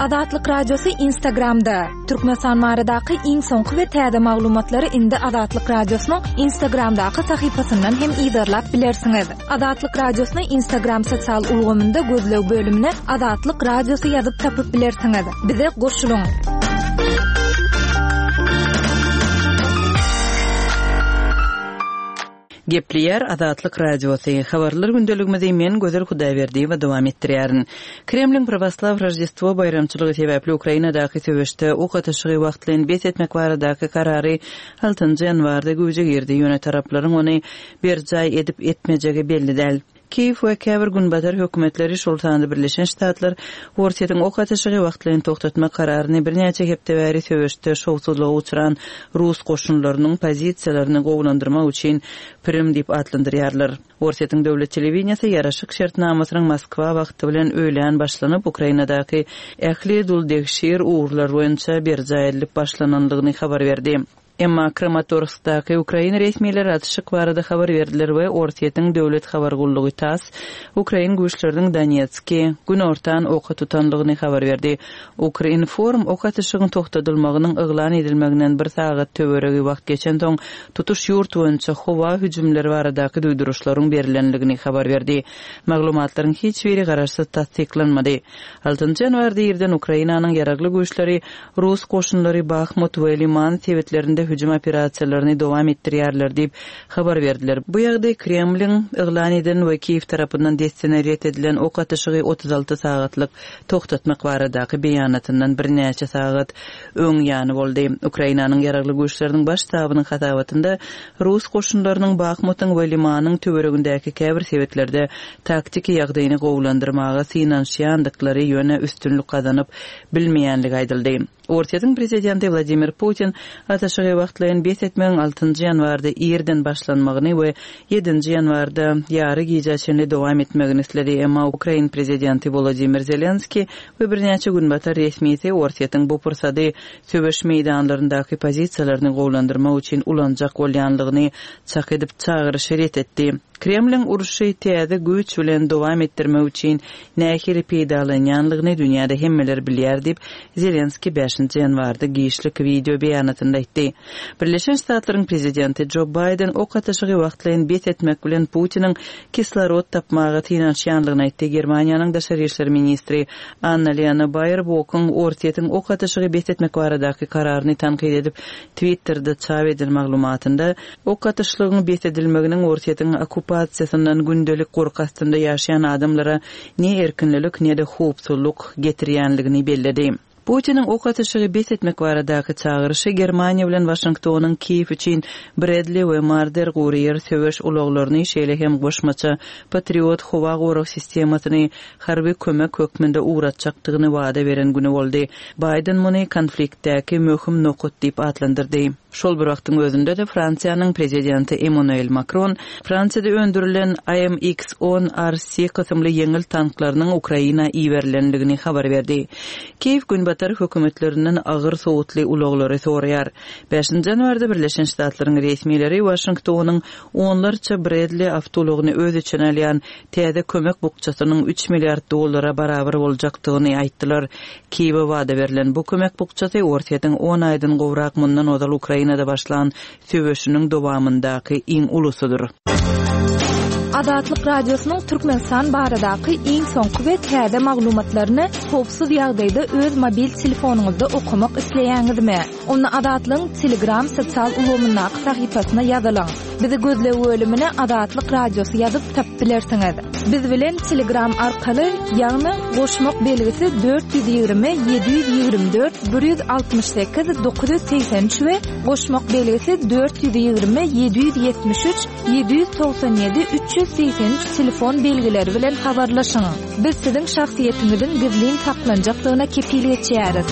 Azatlyk Radiosy Instagramda! Türkmenistan baradaky iň soňky we täze maglumatlary indi Azatlyk Radiosynyň Instagramdaky sahypasyndan hem yzarlap bilersiňiz. Azatlyk Radiosyny Instagram sosial ulgamynda gözleg bölümine Azatlyk Radiosy ýazyp tapyp bilersiňiz. Bize goşulyň! Gepleýär Azatlyk Radiosy, Habarlar gündeligimizi men Gözel Hudaýberdiýewa dowam etdirýärin. Kremliň prawoslaw Roždestwo baýramçylygy sebäpli Ukrainadaky söweşde ok atyşygy wagtlaýyn bes etmek baradaky karary altynjy ýanwarda güýje girdi, ýöne taraplaryň ony berjaý edip-etmejegi belli däl. Kiýew we käbir günbatar hökümetleri, şol sanda Birleşen Ştatlar Orsýetiň ok atyşygy wagtlaýyn togtatmak kararyny birnäçe hepde bäri söweşde şowsuzlyga uçran rus goşunlarynyň pozisiýalaryny gowulandyrmak üçin pirim diýip atlandyrýarlar. Orsýetiň döwlet telewideniýesi ýaraşyk şertnamasynyň Moskwa wagty bilen öýlän başlanyp, Ukrainadaky ähli duldegşir ugurlar boýunça berjaý edilip başlanandygyny habar berdi. Emma Kramatorskdaky ukrain resmileri atyşyk barada habar berdiler we Orsýetiň döwlet habar gullugy tass ukrain güýçleriniň Donetski günortan oka tutandygyny habar berdi. Ukrinform ok atyşygyň togtadylmagynyň yglan edilmeginden bir sagat töweregi wagt geçensoň tutuş ýurt boýunça howa hüjümleri baradaky duýduryşlaryň berilendigini habar berdi. Maglumatlaryň hiç biri garaşsyz tassyklanmady. Altynjy ýanwarda irden Ukrainanyň Ýaragly Güýçleri Rus goşunlary Bahmut we Liman sebitlerinde hüjüm operasiýalaryny dowam etdirýärler diýip, habar berdiler. Bu ýagdaý Kremliň yglan eden we Kiýew tarapyndan dessine ret edilen ok atyşygy 36 sagatlyk togtatmak baradaky beýanatyndan birnäçe sagat öň ýany boldy. Ukrainanyň Ýaragly Güýçleriniň Baş ştabynyň hasabatynda rus goşunlarynyň Bahmutyň we Limanyň töweregindäki käbir sebitlerde taktiki ýagdaýyny gowulandyrmaga synanyşýandyklary, ýöne üstünlik gazanyp bilmeýänligi aýdyldy. Orsýetiň prezidenti Wladimir Putin atyşygy wagtlaýyn bes etmegiň altynjy ýanwarda irden başlanmagyny we ýedinji ýanwarda ýary gijä çenli dowam etmegini isledi, emma ukrain prezidenti Wolodymyr Zelenskiý we birnäçe günbatar resmisi Orsýetiň bu pursady söweş meýdanlaryndaky pozisiýalaryny gowulandyrmak üçin ulanjak bolýanlygyny çak edip çagyryşy ret etdi. Kremliň urşy täze güýç bilen dowam etdirmek üçin nähili peýdalanýanlygyny dünýäde hemmeler bilýär diýip, Zelenskiý bäşinji ýanwarda giçlik wideo beýanatynda aýtdy. Birleşen Ştatlaryň prezidenti Jo Baýden ok atyşygy wagtlaýyn bes etmek bilen Putiniň kislorod tapmaga synanyşýanlygyny aýtdy. Germaniýanyň daşary işler ministri Anna-Lena Baerbokyň Orsýetiň ok atyşygy bes etmek baradaky kararyny tankyt edip, Twitterde çap eden maglumatynda, Ok atyşlygyň bes edilmeginiň Orsýetiň okkupasiýasyndan gündelik gorky astynda ýaşaýan adamlara ne erkinlilik, ne-de howpsuzlyk getirýänligini belledi. Putiniň ok atyşygy bes etmek baradaky çagyryşy Germaniýa bilen Waşingtonyň Kiýew üçin Bredli we Marder gury ýer söweş ulaglaryny, şeýle hem goşmaça Patriot howa gorag sistemasyny harby kömek hökmünde ugratjakdygyny wada beren güni boldy. Baýden muny konfliktdäki möhüm nokat diýip atlandyrdy. Şol bir wagtyň özünde-de Fransiýanyň Prezidenti Emmanuel Makron Fransiýada öndürilen AMX on RC kysymly ýeňil tanklarynyň Ukraina iberilendigini habar berdi. Kiýew Günbatar hökümetlerinden agyr sowutly ulaglary soraýar. Bäşinji ýanwarda Birleşen Ştatlaryň resmileri Waşingtonyň onlarça Bradley awtoulagyny öz içine alýan täze kömek bukjasynyň üç milliard dollara barabar boljakdygyny aýtdylar. Kiýewe wada berlen bu kömek bukjasy Orsýetiň on aýdan gowrak mundan ozal Ukrainada başlan söweşiniň dowamyndaky iň ulusydyr. Azatlyk Radiosynyň Türkmenistan baradaky iň soňky we täze maglumatlaryny howpsuz ýagdaýda öz mobil telefonyňyzda okamak isleýäňizmi? Onda Azatlygyň Telegram sosial ulgamyndaky sahypasyna ýazylyň. Bizi gözleg bölümine Azatlyk Radiosy ýazyp tapyp bilersiňiz. Biz bilen Telegram arkaly, ýagny goşmak belgisi 420 724 168 983 we goşmak belgisi 420 773 797 383 telefon belgileri bilen habarlaşyň. Biz siziň şahsyýetiňiziň gizlin saklanjakdygyna kepil geçýäris.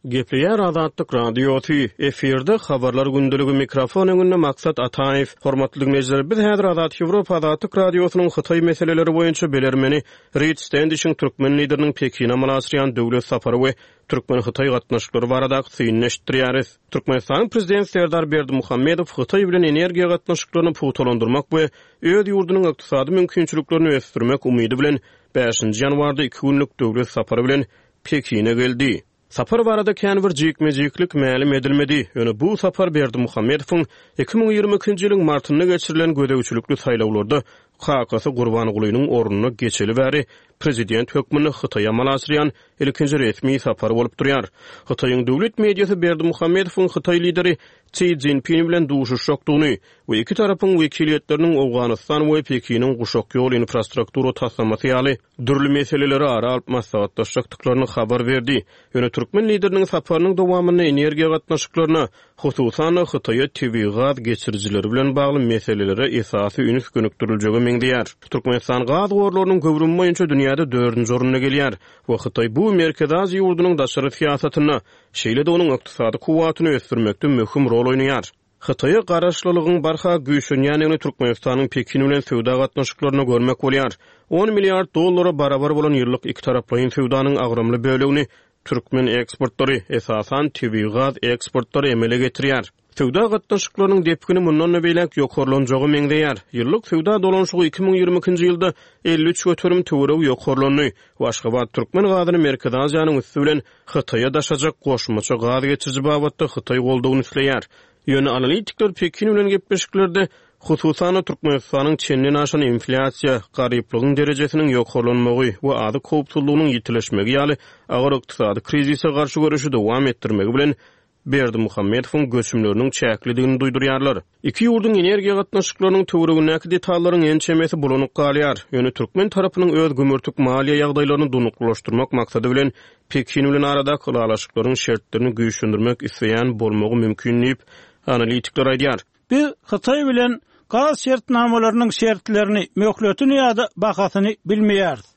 Gepleýär Azatlyk Radiosy, efirde Habarlar gündeligi, mikrofon öňünde Maksat Ataýew. Hormatly diňleýjiler, biz häzir Azat Ýewropa Azatlyk Radiosynyň Hytaý meseleleri boýunça bilermeni Rid Stendişiň türkmen lideriniň Pekine amala aşyrýan döwlet sapary we türkmen-hytaý gatnaşyklary baradaky synyny eşitdirýäris. Türkmenistanyň Prezidenti Serdar Berdimuhamedow Hytaý bilen energiýa gatnaşyklaryny pugtalandyrmak we öz ýurdunyň ykdysady mümkinçiliklerini ösdürmek umydy bilen bäşinji ýanwarda iki günlük döwlet sapary bilen Pekine geldi. Sapar barada kän bir jikme-jiklik mälim edilmedi, ýöne bu sapar Berdimuhamedowyň 2022-nji ýylyň martynda geçirilen gözegçilikli saýlawlarda kakasy Gurbangulynyň ornuna geçeli bäri prezident hökmünde Hytaýa amala aşyrýan ilkinji resmi sapary bolup durýar. Hytaýyň döwlet mediasy Berdimuhamedowyň hytaý lideri Si Szinpin bilen duşuşjakdygyny we iki tarapyň wekiliýetleriniň Owganystan we Pekiniň Guşak ýol infrastruktura taslamasy ýaly dürli meseleleri ara alyp maslahatlaşjakdyklaryny habar berdi. Ýöne türkmen Lideriniň saparynyň dowamynda energiýa gatnaşyklaryna, hususan-da, Hytaýa tebigy gaz geçirijileri bilen bagly meselelere esasy üns gönükdiriljege meňzeýär. Türkmenistan gaz gorlarynyň göwrümi boýunça dünýäde dördünji orunda gelýär we Hytaý bu Merkezi Aziýa ýurdunyň daşary syýasatynda, şeýle-de onuň ykdysady kuwwatyny ösdürmekde möhüm rol oýnaýar. Hytaýa garaşlylygyň barha güýçlenýändigini Türkmenistanyň Pekin bilen söwda gatnaşyklarynda görmek bolýar. On milliard dollara barabar bolan ýyllyk ikitaraplaýyn söwdanyň agramly bölegini türkmen eksportlary, esasan, tebigy gaz eksportlary emele getirýär. Söwda gatnaşyklarynyň depgini mundan-da beýläk ýokarlanjaga meňzeýär. Ýyllyk söwda dolanyşygy 2022-nji ýylda 53% töweregi ýokarlandy we Aşgabat türkmen gazyny Merkezi Aziýanyň üsti bilen Hytaýa daşajak goşmaça gaz geçiriji babatda Hytaý goldawyny isleýär. Ýöne analitikler Pekin bilen gepleşiklerde, hususan-da, Türkmenistanyň çenden aşan inflýasiýa, garyplygyň derejesiniň ýokarlanmagy we azyk howpsuzlygynyň ýitileşmegi ýaly agyr ykdysady krizise garşy göreşi dowam etdirmegi bilen Berdimuhamedowyň göçümleriniň çäklidigini duýdurýarlar. Iki ýurduň energiýa gatnaşyklarynyň töweregindäki detallaryň ençemesi bulanyk galýar. Ýöne türkmen tarapynyň öz gümürtik maliýe ýagdaýlaryny durnuklylaşdyrmak maksady bilen Pekin bilen aradaky ylalaşyklaryň şertlerini güýçlendirmek isleýän bolmagy mümkin diýip, analitikler aýdýar. Biz Hytaý bilen gaz şertnamalarynyň şertlerini, möhletini ýa-da bahasyny bilmeýäris.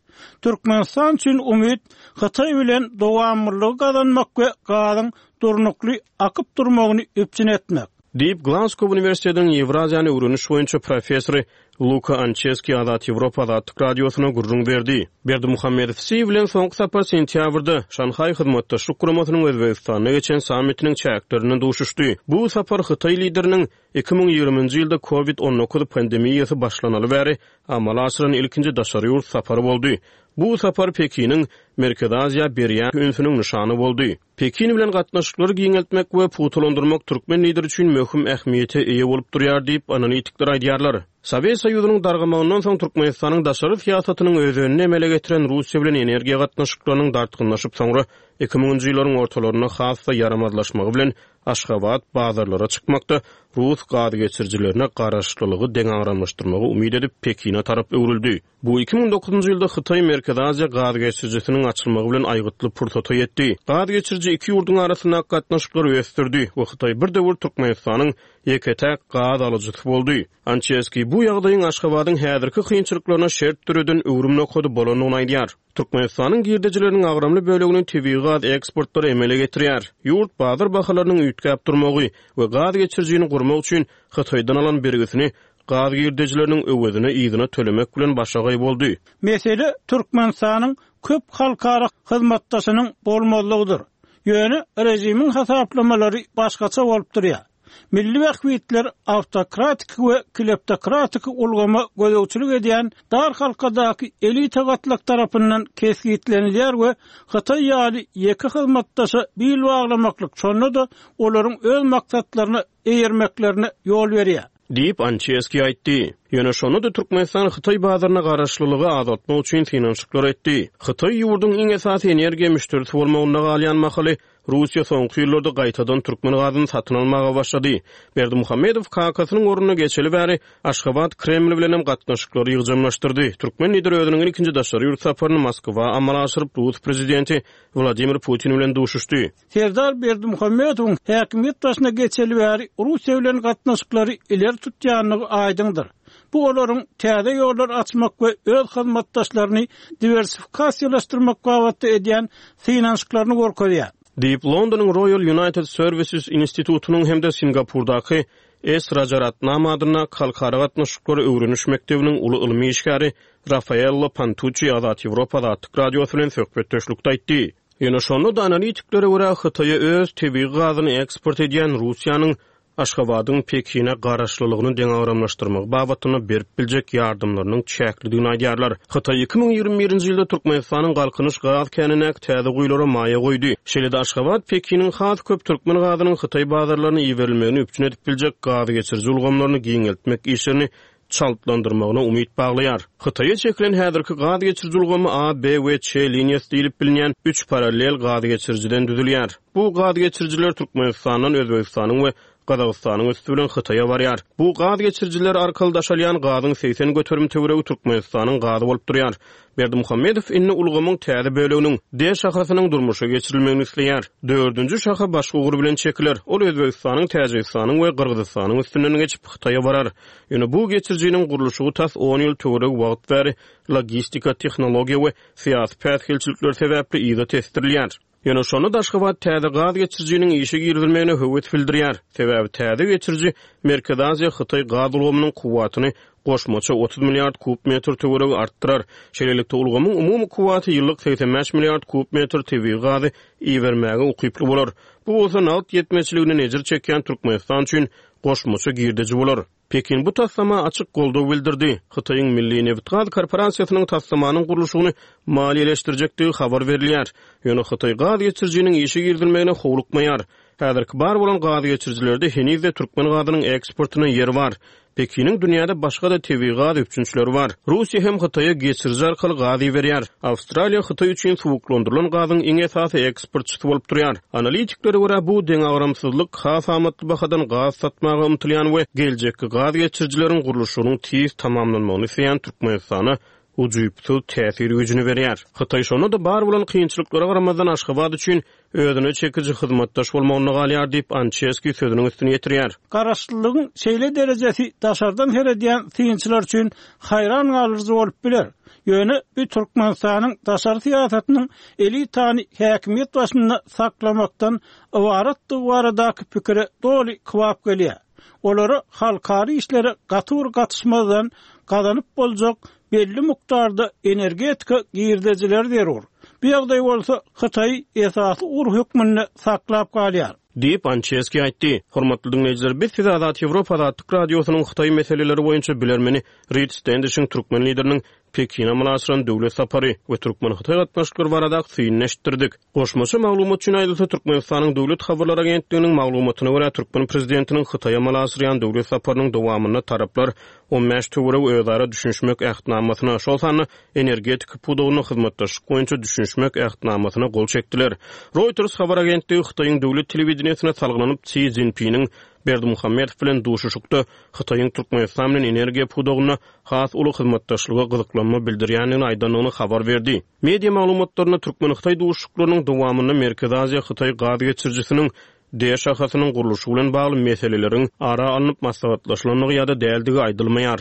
Türkmenistan üçin umyt Hytaý bilen dowamlylygy gazanmak we gazyň durnukly akyp durmagyny üpjün etmek. Diýip, Glasgow uniwersitetiniň Ýewraziýany öwreniş boýunça professory Luka Ançeski Azat Ýewropa Azatlyk Radiosyna gürrüň berdi. Berdimuhamedow Si bilen soňky sapar sentýabrda, Şanhaý Hyzmatdaşlyk Guramasynyň Özbegistanda geçen sammitiniň çäklerinde duşuşdy. Bu sapar hytaý lideriniň 2020-nji ýylda Covid 19 pandemiýasy başlanaly bäri amala aşyran ilkinji daşary ýurt sapary boldy. Bu sapar Pekiniň Merkezi Aziýa berýän ünsüniň nyşany boldy. Pekin bilen gatnaşyklary giňeltmek we pugtalandyrmak türkmen Lideri üçin möhüm ähmiýete eýe bolup durýar diýip, analitikler aýdýarlar. Sowet Soýuzynyň dargamagyndan soň Türkmenistanyň daşary syýasatynyň özenini emele getiren Russiýa bilen energiýa gatnaşyklarynyň dartgynlaşyp soňra iki müňünji ýyllaryň ortalarynda has-da ýaramazlaşmagy bilen Aşgabat bazarlara çykmakda rus gazgeçirijilerine garaşlylygy deňagramlaşdyrmagy umyt edip Pekine tarap öwrüldi. Bu 2009-njy ýylda Hytaý-Merkezi Aziýa gaz geçirijisiniň açylmagy bilen aýgytly pursata ýetdi. Gaz geçiriji iki ýurduň arasyndaky gatnaşyklary ösdürdi we Hytaý bir döwür Türkmenistanyň ýeke-täk gaz alyjysy boldy. Ançeskiý bu ýagdaýyň Aşgabadyň häzirki kynçylyklaryna şert döreden öwrüm nokady bolandygyny aýdýar. Türkmenistanyň girdejileriniň agramly bölegini tebigy gaz eksportlary emele getirýär. Ýurt bazar bahalarynyň üýtgäp durmagy we gaz geçirijini gurmak üçin Hytaýdan alan bergisini Gaz girdejileriniň öwezini yzyna tölemek bilen başagaý boldy. Mesele Türkmenistanyň köp halkara hyzmatdaşynyň bolmazlygydyr. Ýöne režimiň hasaplamalary başgaça bolup durýar. Milli bähbitler awtokratiki we kleptokratiki ulgama gözegçilik edýän dar halkadaky elita gatlak tarapyndan kesgitlenilýär we Hytaý ýaly ýeke hyzmatdaşa bil baglamaklyk şonda-da olaryň öz maksatlaryna eýermeklerine ýol berýär. Diýip, Ançeski aýtdy. Ýöne şonda-da Türkmenistan hytaý bazaryna garaşlylygy azaltmak üçin synanyşyklar etdi. Hytaý ýurduň iň esasy energiýa müşderisi bolmagynda galýan mahaly, Russiýa soňky ýyllarda gaýtadan türkmen gazyny satyn almaga başlady. Berdimuhamedow kakasynyň ornuna geçeli bäri, Aşgabat Kreml bilenem gatnaşyklary ýygjamlaşdyrdy. Türkmen Lideri özüniň ilkinji daşary ýurt saparyny Moskwa amala aşyryp, rus prezidenti Wladimir Putin bilen duşuşdy. Serdar Berdimuhamedowyň häkimiýet başyna geçeli bäri Russiýa bilen gatnaşyklary ileri tutýandygy aýdyňdyr. Bu olaryň täze ýollar açmak we öz hyzmatdaşlaryny diwersifikasiýalaşdyrmak babatda edýän synanyşyklaryny görkezýär. Diýip, Londonyň Royal United Services institutynyň hem-de Singapurdaky S. Rajaratnam adyndaky Halkara gatnaşyklary öwreniş mekdebiniň uly ylmy işgäri Rafaello Pantuççi Azat Ýewropa Azatlyk Radiosy bilen söhbetdeşlikde aýtdy. Ýöne şonda-da analitiklere görä, Hytaýa öz tebigy gazyny eksport edýän Russiýanyň Aşgabadyň Pekine garaşlylygyny deňagramlaşdyrmagy babatynda berip biljek ýardamlarynyň çäklidigini aýdýarlar. Hytaý 2021-nji ýylda Türkmenistanyň Galkynyş gaz känindäki täze guýulara maýa goýdy. Şeýle-de Aşgabat Pekiniň has köp türkmen gazynyň hytaý bazarlaryna iberilmegini üpjün edip biljek gazgeçiriji ulgamlaryny giňeltmek işlerini çaltlandyrmagyna umyt baglaýar. Hytaýa çekilen häzirki gaz geçiriji ulgamy A, B we Ç liniýasy diýlip bilinýän üç parallel gaz geçirijiden düzülýär. Bu gaz geçirijiler Türkmenistandan Özbegistanyň we Gazagystanyň üsti bilen Hytaýa barýar. Bu gaz geçirijiler arkaly daşalýan gazyň 80% töweregi Türkmenistanyň gazy bolup durýar. Berdimuhamedow indi ulgamyň täze böleginiň, D şahasynyň durmuşa geçirilmegini isleýär. Dördünji şaha başga ugur bilen çekiler. Ol Özbegistanyň, Täjigistanyň we Gyrgyzystanyň üstünden geçip, Hytaýa barar. Ýöne bu geçirijiniň gurluşygy tas on ýyl töweregi wagt bäri logistika, tehnologiýa we syýasy päsgelçilikler sebäpli yza tesdirilýär. Ýöne şonda-da Aşgabat täze gaz geçirijiniň işe girizilmegine höwes bildirýär. Sebäbi täze geçiriji Merkezi Aziýa-Hytaý gaz ulgamynyň kuwwatyny goşmaça 30 milliard kub metr töweregi artdyrar. Şeýlelikde, ulgamyň umumy kuwwaty ýyllyk 85 milliard kub metr tebigy gazy ibermäge ukyply bolar. Bu bolsa nagt ýetmezçiliginden ejir çekýän Türkmenistan üçin goşmaça girdeji bolar. Pekin bu taslama açyk goldaw bildirdi. Hytaýyň Milli nebitgaz korporasiýasynyň taslamanyň gurluşygyny maliýeleşdirjekdigi habar berilýär. Ýöne Hytaý gaz geçirijiniň işe girizilmegine howlukmaýar. Häzirki bar bolan gaz geçirijilerde heniz-de türkmen gazynyň eksportyna ýer bar. Pekiniň dünýäde başga-da tebigy gaz üpjünçileri bar. Russiýa hem Hytaýa geçiriji arkaly gaz iberýär. Awstraliýa Hytaý üçin suwuklandyrylan gazyň iň esasy eksportçysy bolup durýar. Analitiklere görä, bu deňagramsyzlyk has amatly bahadan gaz satmaga ymtylýan we geljekki gaz geçirijileriň gurluşygynyň tiz tamamlanmagyny isleýän Türkmenistana ujypsyz täsir güýjüni berýär. Hytaý şonda-da bar bolan kynçylyklara garamazdan Aşgabat üçin özüne çekiji hyzmatdaş bolmagynda galýar diýip, Ançeski sözüniň üstüni ýetirýär. Garaşlylygyň şeýle derejesi daşardan seredýän synçylar üçin haýran galyjy bolup biler. Ýöne bu Türkmenistanyň daşary syýasatynyň elitany häkimiýet başynda saklamakdan ybaratdygy baradaky pikire doly kybap gelýär. Olara halkara işlere gaty bir gatyşmazdan gazanyp boljak belli mukdarda energetika girdejileri zerur. Bu ýagdaý bolsa Hytaýy esasy ugur hökmünde saklap galýar. Diýip, Ançeski aýtdy. Hormatly diňleýjiler, biz size Azat Ýewropa Azatlyk Radiosynyň Hytaý meseleleri boýunça bilermeni Rid Stendişiň türkmen Lideriniň Pekine amala aşyran döwlet sapary we türkmen-hytaý gatnaşyklary baradaky synyny eşitdirdik. Goşmaça maglumat üçin aýdylsa, Türkmenistanyň Döwlet habarlar agentliginiň maglumatyna görä, türkmen prezidentiniň Hytaýa amala aşyrýan döwlet saparynyň dowamynda taraplar 15 töweregi özara düşünişmek Ähtnamasyna, şol sanda energetika pudagynda hyzmatdaşlyk boýunça düşünişmek Ähtnamasyna gol çekdiler. Reuters habar agentligi Hytaýyň döwlet telewideniýesine salgylanyp, Si Szinpiniň Berdimuhamedow bilen duşuşykda Hytaýyň Türkmenistan bilen energiýa pudagynda has uly hyzmatdaşlyga gyzyklanma bildirýändigini aýdandygyny habar berdi. Media maglumatlarynda türkmen-hytaý duşuşyklarynyň dowamynda Merkezi Aziýa-Hytaý gaz geçirijisiniň D şahasynyň gurluşy bilen bagly meseleleriň ara alnyp maslahatlaşylandygy ýa-da däldigi aýdylmaýar.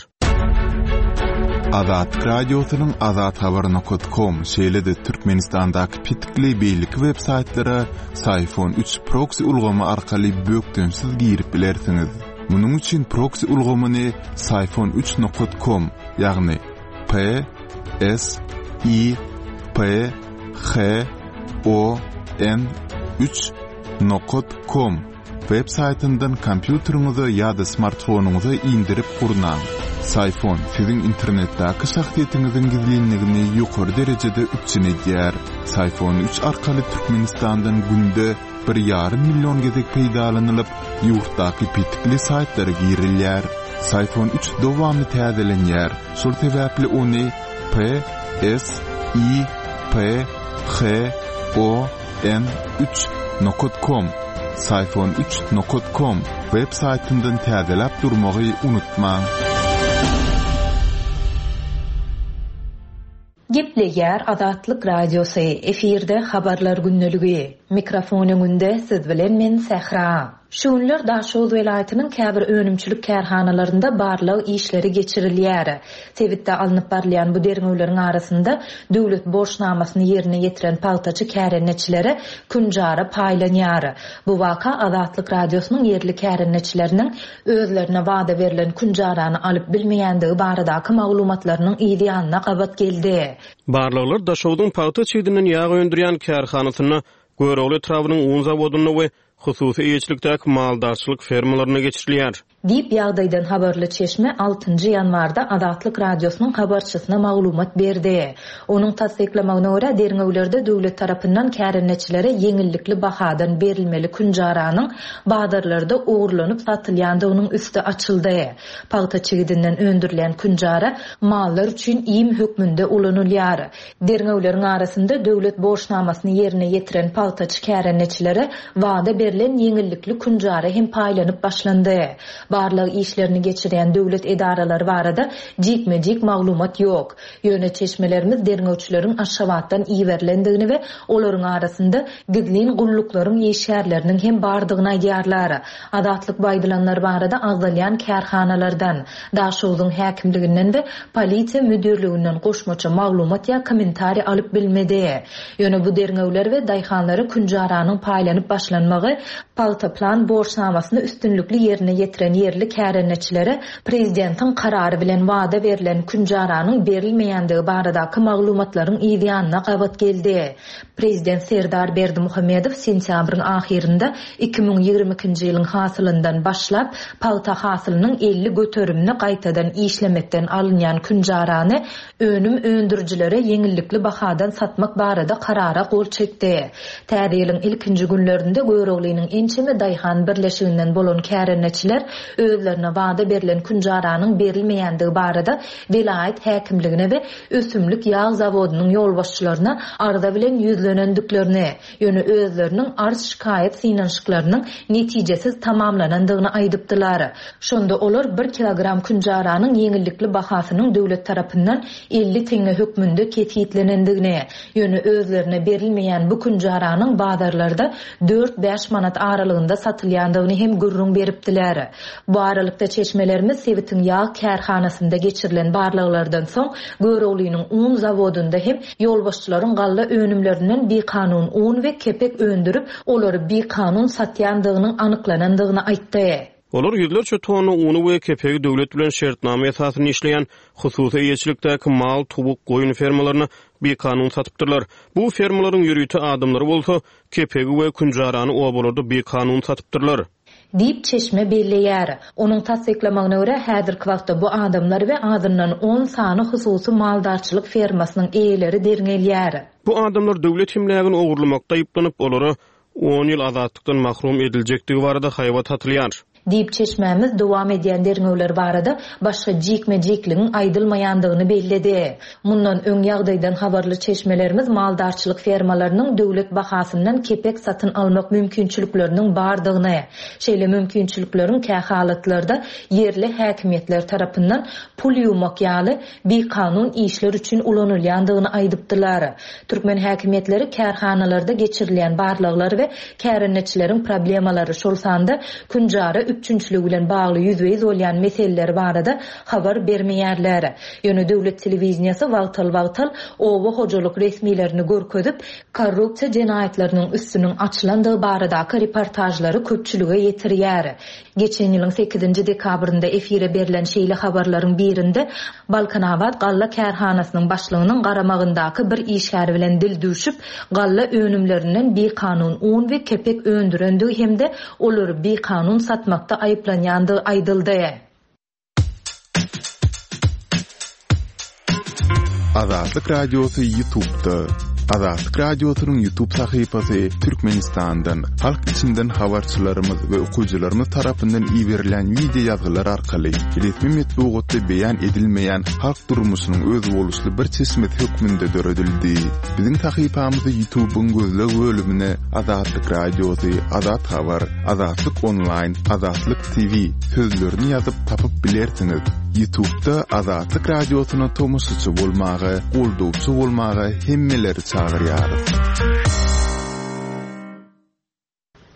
Azatlyk Radiosynyň azathabar nokat kom, şeýle-de Türkmenistandaky petikli beýleki web saýtlara Syfon üç proksi ulgamy arkaly bökdençsiz girip bilersiňiz. Munuň üçin proksi ulgamyny syfon üç nokat kom, ýagny P S I P H O N 3 nokat kom web saýtyndan kompýuteriňize ýa-da smartfonyňyza indirip gurnaň. Syfon siziň internetdäki şahsyýetiňiziň gizlinligini ýokary derejede üpjün edýär. Syfon 3 arkaly Türkmenistandan günde bir ýarym million gezek peýdalanylyp, ýurtdaky petikli saýtlara girilýär. Syfon üç dowamly täzelenýär, şol sebäpli ony P, S, I, P, H, O, N, üç nokat kom, Syfon üç nokat kom, web saýtyndan täzeläp durmagy unutmaň. Gepleýär Azatlyk Radiosy, efirde Habarlar gündeligi. Mikrofon öňünde siz bilen men Sähra. Şu günler Daşoguz welaýatynyň käbir önümçilik kärhanalarynda barlag işleri geçirilýär. Sebitde alnyp barylýan bu derňewleriň arasynda döwlet borçnamasyny ýerine ýetiren pagtaçy kärendeçilere künjara paýlanýar. Bu waka Azatlyk Radiosynyň ýerli kärendeçileriniň özlerine wada berlen künjarany alyp bilmeýändigi baradaky maglumatlarynyň yz ýanyna gabat geldi. Barlaglar Daşogzuň pagta çigdinden ýag öndürýän kärhanasynda, Görogly etrabynyň un zawodynda we hususy eýeçilikdäki maldarçylyk fermalarynda geçirilýär. Diýip, ýagdaýdan habarly çeşme altynjy ýanwarda Azatlyk Radiosynyň habarçysyna maglumat berdi. Onuň tassyklamagyna görä, derňewlerde döwlet tarapyndan kärendeçilere ýeňillikli bahadan berilmeli künjaranyň bazarlarda ogurlanyp satylýandygynyň üsti açyldy. Pagta çigidinden öndürilýän künjara mallar üçin iým hökmünde ulanylýar. Derňewleriň arasynda döwlet borçnamasyny ýerine ýetiren pagtaçy kärendeçilere wada berlen ýeňillikli künjara hem paýlanyp başlandy. Barlag işlerini geçirýän döwlet edaralary barada jikme-jik maglumat ýok. Ýöne çeşmelerimiz derňewçileriň Aşgabatdan iberilendigini we olaryň arasynda gizlin gulluklaryň işgärleriniň hem bardygyny aýdýarlar. Azatlyk bu aýdylanlar barada agzalýan kärhanalardan, Daşogzuň häkimliginden we polisiýa müdirliginden goşmaça maglumat ýa kommentariý alyp bilmedi. Ýöne bu derňewler we daýhanlara künjaranyň paýlanyp başlanmagy pagta plan borçnamasyny üstünlikli ýerine ýetiren ýerli kärendeçilere prezidentiň karary bilen wada berlen künjaranyň berilmeýändigi baradaky maglumatlaryň yzýanyna gabat geldi. Prezident Serdar Berdimuhamedow sentýabryň ahyrynda 2022-nji ýylyň hasylyndan başlap, pagta hasylynyň 50 göterimini gaýtadan işlemekden alynýan künjarany önüm öndürijilere ýeňillikli bahadan satmak barada karara gol çekdi. Täze ýylyň ilkinji günlerinde Göroglynyň ençeme daýhan birleşiginden bolan kärendeçiler özlerine wada berlen künjaranyň berilmeýändigi barada welaýat häkimligine we ösümlik ýag zawodynyň ýolbaşçylaryna arza bilen ýüzlenendiklerini, ýöne özleriniň arz-şikaýat synanyşyklarynyň netijesiz tamamlanandygyny aýdypdylar. Şonda olar bir kilogram künjaranyň ýeňillikli bahasynyň döwlet tarapyndan 50 teňňe hökmünde kesgitlenendigini, ýöne özlerine berilmeýän bu künjaranyň bazarlarda dört-bäş manat aralygynda satylýandygyny hem gürrüň beripdiler. Bu aralykda, çeşmelerimiz sebitiň ýag kärhanasynda geçirilen barlaglardan soň, Göroglynyň un zawodynda hem ýolbaşçylaryň galla önümlerinden bikanun un we kepek öndürip, olary bikanun satýandygynyň anyklanandygyny aýtdy. Olar ýüzlerçe tonna uny we kepegi döwlet bilen şertnama esasynda işleýän hususy eýeçilikdäki mal, towuk, goýun fermalaryna bikanun satypdyrlar. Bu fermalaryň ýörite adamlary bolsa, kepegi we künjarany obalarda bikanun satypdyrlar. Diýip, çeşme belleýär. Onuň tassyklamagyna görä, häzirki wagtda bu adamlar we azyndan on sany hususy maldarçylyk fermasynyň eýeleri derňelýär. Bu adamlar döwlet emlägini ogurlamakda aýyplanyp, olara on ýyl azatlykdan mahrum ediljekdigi barada haýbat atylýar. Diýip, çeşmämiz dowam edýän derňewler barada başga jikme-jikligiň aýdylmaýandygyny belledi. Mundan öň ýagdaýdan habarly çeşmelerimiz maldarçylyk fermalarynyň döwlet bahasyndan kepek satyn almak mümkinçilikleriniň bardygyny, şeýle mümkinçilikleriň kähalatlarda ýerli häkimiýetler tarapyndan pul ýuwmak ýaly bikanun işler üçin ulanylýandygyny aýdypdylar. Türkmen häkimiýetleri kärhanalarda geçirilýän barlaglar we kärendeçileriň problemalary, şol sanda künjara üpjünçiligi bilen bagly ýüzbe-ýüz bolýan meseleler barada habar bermeýärler. Ýöne döwlet telewideniýesi wagtal-wagtal oba hojalyk resmilerini görkezip, korrupsiýa jenaýatlarynyň üstüniň açylandygy baradaky reportažlary köpçülige ýetirýär. Geçen ýylyň sekizinji dekabrynda efire berlen şeýle habarlaryň birinde Balkanabat galla kärhanasynyň başlygynyň garamagyndaky bir işgär bilen dil düwşüp, galla önümlerinden bikanun un we kepek öndürendigi hem-de olary bikanun satmakda aýyplanýandygy aýdyldy. Azatlyk Radiosy YouTube'da. Azatlyk Radiosynyň YouTube sahypasy Türkmenistandan, halk içinden habarçylarymyz we okyjylarymyz tarapyndan iberilen wideo ýazgylar arkaly resmi metbugatda beýan edilmeýän halk durmuşynyň özboluşly bir çeşmesi hökmünde döredildi. Biziň sahypamyzy YouTube'yň gözleg bölümine Azatlyk Radiosy, Azat Habar, Azatlyk Onlaýn, Azatlyk TV sözlerini ýazyp tapyp bilersiňiz. Ýutubda Azatlyk Radiosyna tomaşaçy bolmaga, goldawçy bolmaga hemmeleri çagyrýarys.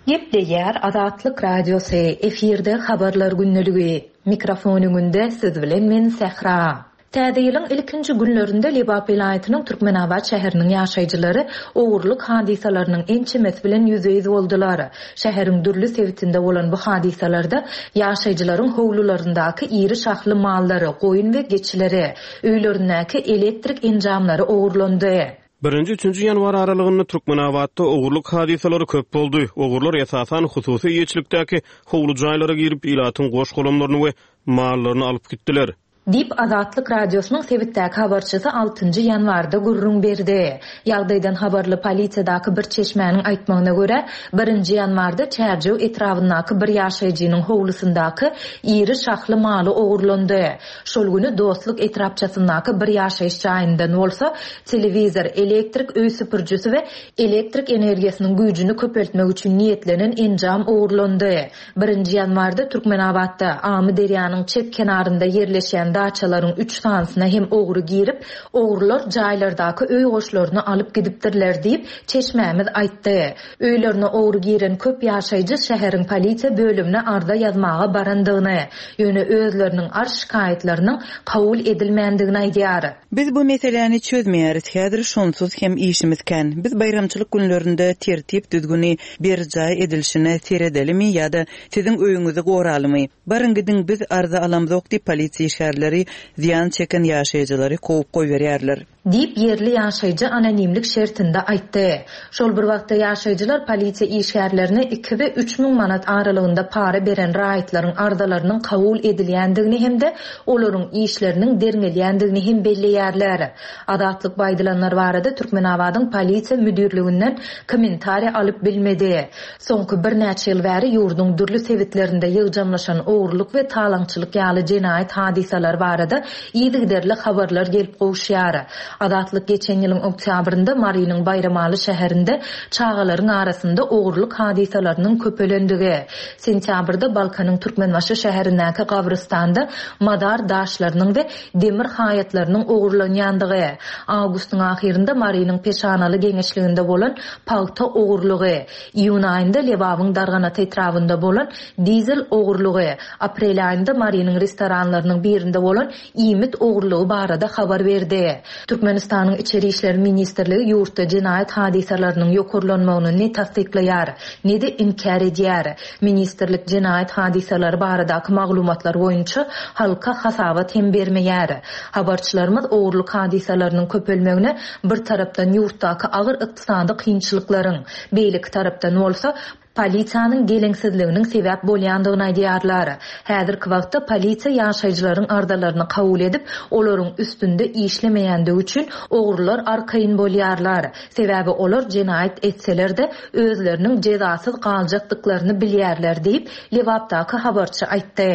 Gepleýär Azatlyk Radiosy, efirde Habarlar gündeligi. Mikrofon öňünde siz bilen men Sähra. Täze ýylyň ilkinji günlerinde Lebap welaýatynyň Türkmenabat şäheriniň ýaşaýjylary ogurlyk hadysalarynyň ençemesi bilen ýüzbe-ýüz boldular. Şäheriň dürli sebitinde bolan bu hadysalarda ýaşaýjylaryň howlularyndaky iri şahly mallary, goýun we geçileri, öýlerindäki elektrik enjamlary ogurlandy. Birinji-üçünji ýanwar aralygynda Türkmenabatda ogurlyk hadysalary köp boldy. Ogrular esasan hususy eýeçilikdäki howly jaýlara girip, ilatyň goş-golamlaryny we mallaryny alyp gitdiler. Diýip, Azatlyk Radiosynyň sebitdäki habarçysy altynjy ýanwarda gürrüň berdi. Ýagdaýdan habarly polisiýadaky bir çeşmäniň aýtmagyna görä, birinji ýanwarda Çärjew etrabyndaky bir ýaşaýjynyň howlusyndaky iri şahly maly ogurlandy. Şol güni Dostluk etrapçasyndaky bir ýaşaýyş jaýyndan bolsa telewizor, elektrik öý süpürijisi we elektrik energiýasynyň güýjüni köpeltmek üçin niýetlenen enjam ogurlandy. Birinji ýanwarda Türkmenabatda, Amyderýanyň çep kenarynda ýerleşýän daçalaryň üç sanysyna hem ogry girip, ogrular jaýlardaky öý goşlaryny alyp gidipdirler diýip, çeşmämiz aýtdy. Öýlerine ogry giren köp ýaşaýjy şäheriň polisiýa bölümine arza ýazmaga barandygyny, ýöne özleriniň arz-şikaýatlarynyň kabul edilmändigini aýdýar. Biz bu meseläni çözmeýäris, häzir şonsuz hem işimiz kän. Biz baýramçylyk günlerinde tertip-düzgüni berjaý edilişine seredelimi ýa-da siziň öýüňizi goralymy? Baryň gidiň biz arza alamzok diýip polisiýa işgärleri zyýan çeken ýaşaýjylary kowup goýberýärler. Diýip, ýerli ýaşaýjy anonimlik şertinde aýtdy. Şol bir wagtda ýaşaýjylar polisiýa işgärlerine iki we 3000 manat aralygynda para beren raýatlaryň arzalarynyň kabul edilýändigini hem-de olaryň işleriniň derňelýändigini hem belleýärler. Azatlyk bu aýdylanlar barada Türkmenabadyň Polisiýa müdirliginden kommentariý alyp bilmedi. Soňky birnäçe ýyl bäri ýurduň dürli sebitlerinde ýygjamlaşan ogurlyk we talaňçylyk ýaly jenaýat hadysalary barada yzygiderli habarlar gelip gowuşýar. Azatlyk geçen ýylyň oktýabrynda Marynyň Baýramaly şäherinde çagalaryň arasynda ogurlyk hadysalarynyň köpelendigi, sentýabrda Balkanyň Türkmenbaşy şäherindäki gabrystanda mazar daşlarynyň we demir haýatlarynyň ogurlanýandygy, awgustyň ahyrynda Marynyň Peşanaly geňeşliginde bolan pagta ogurlygy, iýun aýynda Lebabyň Darganata etrabynda bolan dizel ogurlygy, aprel aýynda Marynyň restoranlarynyň birinde bolan iýmit ogurlygy barada habar berdi. Türkmenistanyň Içeri işler ministrligi ýurtda jenaýat hadysalarynyň ýokarlanmagyny ne tassyklaýar, ne-de inkär edýär. Ministrlik jenaýat hadysalary baradaky maglumatlar boýunça halka hasabat hem bermeýär. Habarçylarymyz ogurlyk hadysalarynyň köpelmegine bir tarapdan ýurtdaky agyr ykdysady kynçylyklaryň, beýleki tarapdan bolsa, polisiýanyň geleňsizliginiň sebäp bolýandygyny aýdýarlar. Häzirki wagtda polisiýa ýaşaýjylaryň arzalaryny kabul edip, olaryň üstünde işlemeýändigi üçin ogrular arkaýyn bolýarlar. Sebäbi olar jenaýat etseler-de, özleriniň jezasyz galjakdyklaryny bilýärler diýip, Lebapdaky habarçy aýtdy.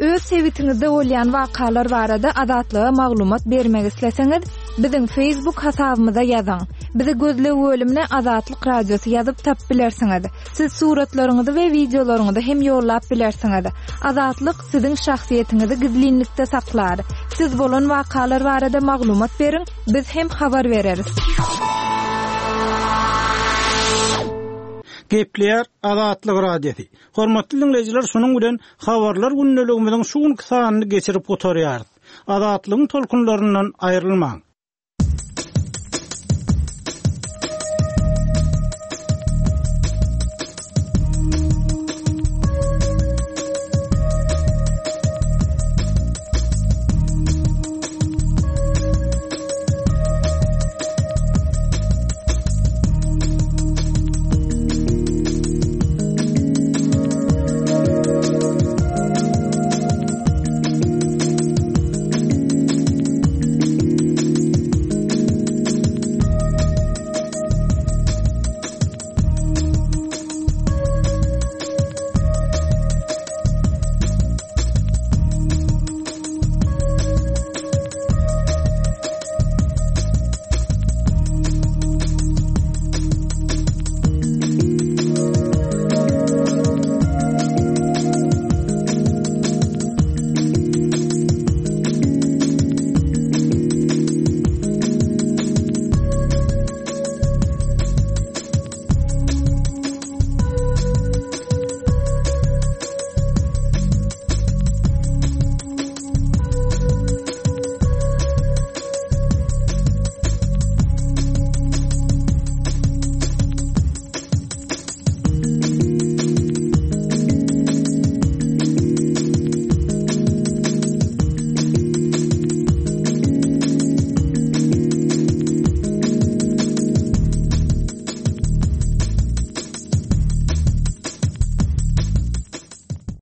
Öz sebitiňizde bolýan wakalar barada Azatlyga maglumat bermek isleseňiz, biziň Facebook hasabymyza ýazyň. Bizi gözleg bölümine Azatlyk Radiosy ýazyp tapyp bilersiňiz. Siz suratlaryňyzy we wideolaryňyzy hem ýollap bilersiňiz. Azatlyk siziň şahsyýetiňizi gizlinlikde saklar. Siz bolan wakalar barada maglumat beriň, biz hem habar bereris. Gepleýär Azatlyk Radiosy. Hormatly diňleýjiler, şunuň bilen Habarlar gündeligimiziň şu günki sanyny geçirip gutarýarys. Azatlygyň tolkunlaryndan aýrylmaň!